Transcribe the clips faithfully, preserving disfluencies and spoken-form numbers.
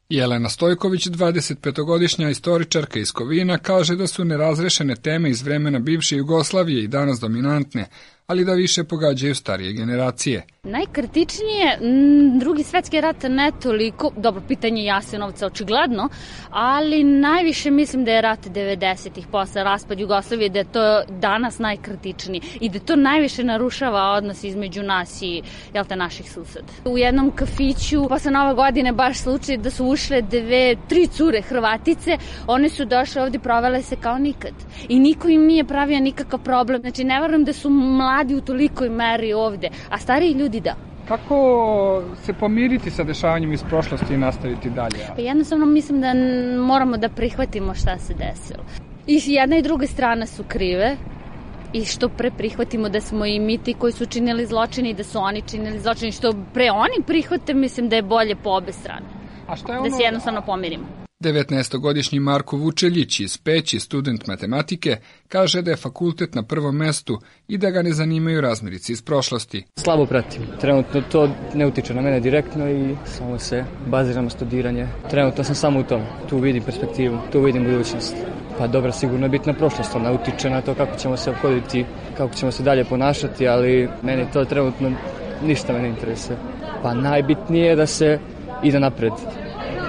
Jelena Stojković, dvadesetpetogodišnja istoričarka iz Kovina, kaže da su nerazrešene teme iz vremena bivše Jugoslavije i danas dominantne, ali da više pogađaju starije generacije. Najkritičnije, drugi svetski rat ne toliko, dobro, pitanje Jasenovca očigledno, ali najviše mislim da je rat devedesetih posle raspad Jugoslavije, da je to danas najkritičniji i da to najviše narušava odnos između nas i, jel te, naših suseda. U jednom kafiću, posle Nove godine, baš slučaj da su ušle dve, tri cure Hrvatice, one su došle ovde, provele se kao nikad. I niko im nije pravio nikakav problem, znači ne verujem da su mladi u tolikoj meri ovde, a stariji ljudi da. Kako se pomiriti sa dešavanjem iz prošlosti i nastaviti dalje? Pa jednostavno mislim da moramo da prihvatimo šta se desilo. I jedna i druga strana su krive i što pre prihvatimo da smo i mi ti koji su činili zločine i da su oni činili zločine, što pre oni prihvate, mislim da je bolje po obe strane. A šta je ono... Da se jednostavno pomirimo. devetnaestogodišnji Marko Vučeljić iz Peći, student matematike, kaže da je fakultet na prvom mestu i da ga ne zanimaju razmirice iz prošlosti. Slabo pratim. Trenutno to ne utiče na mene direktno i samo se baziram na studiranje. Trenutno sam samo u tom. Tu vidim perspektivu, tu vidim budućnost. Pa dobro, sigurno je bitna prošlost, ona utiče na to kako ćemo se ophoditi, kako ćemo se dalje ponašati, ali meni to trenutno ništa me ne interesuje. Pa najbitnije je da se ide napred,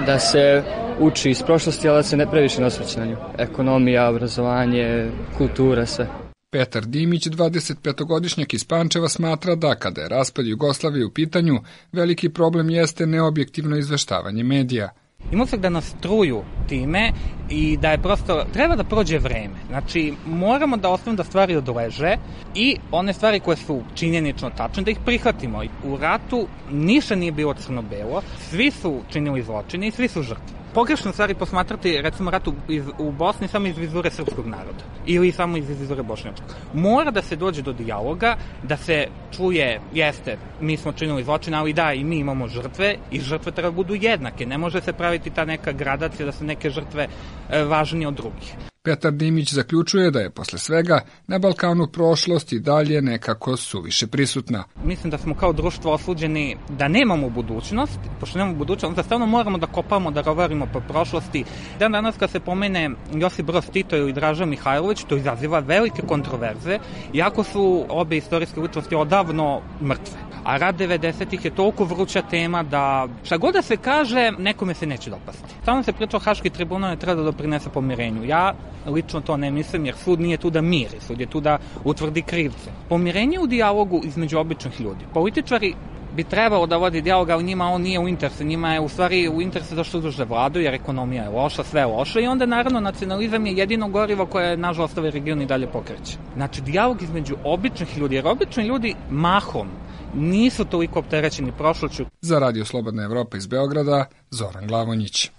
da se uči iz prošlosti, ali da se ne previše ne osvrće na nju. Ekonomija, obrazovanje, kultura, sve. Petar Dimić, dvadesetpetogodišnjak iz Pančeva, smatra da kada je raspad Jugoslavije u pitanju, veliki problem jeste neobjektivno izveštavanje medija. Ima se da nas truju time i da je prosto, treba da prođe vreme. Znači, moramo da ostavimo da stvari odleže i one stvari koje su činjenično tačne, da ih prihvatimo. U ratu ništa nije bilo crno-belo, svi su činili zločine i svi su žrtve. Pogrešno stvari posmatrati, recimo, rat u, iz, u Bosni samo iz vizure srpskog naroda ili samo iz vizure bošnjačkog. Mora da se dođe do dijaloga, da se čuje, jeste, mi smo činili zločine, ali da, i mi imamo žrtve i žrtve treba budu jednake. Ne može se praviti ta neka gradacija da su neke žrtve e, važnije od drugih. Petar Dimić zaključuje da je posle svega na Balkanu prošlost i dalje nekako suviše prisutna. Mislim da smo kao društvo osuđeni da nemamo budućnost, pošto nemamo budućnost, onda stavno moramo da kopamo, da rovarimo po prošlosti. Dan danas kad se pomene Josip Broz Tito ili Draža Mihajlović, to izaziva velike kontroverze, iako su obe istorijske ličnosti odavno mrtve. A rat devedesetih je toliko vruća tema da šta god da se kaže, nekome se neće dopasti. Samo se priča o Haški tribunal ne treba da doprinese pomirenju. Ja lično to ne mislim, jer sud nije tu da miri, sud je tu da utvrdi krivce. Pomirenje u dijalogu između običnih ljudi. Političari bi trebalo da vodi dijalog, ali njima on nije u interesu. Njima je u stvari u interesu da što duže vladu, jer ekonomija je loša, sve je loše i onda naravno nacionalizam je jedino gorivo koje nažalost ovaj region i dalje pokreće. Znači dijalog između običnih ljudi, jer obični ljudi mahom nisu toliko opterećeni prošlošću. Za Radio Slobodna Evropa iz Beograda, Zoran Glavonjić.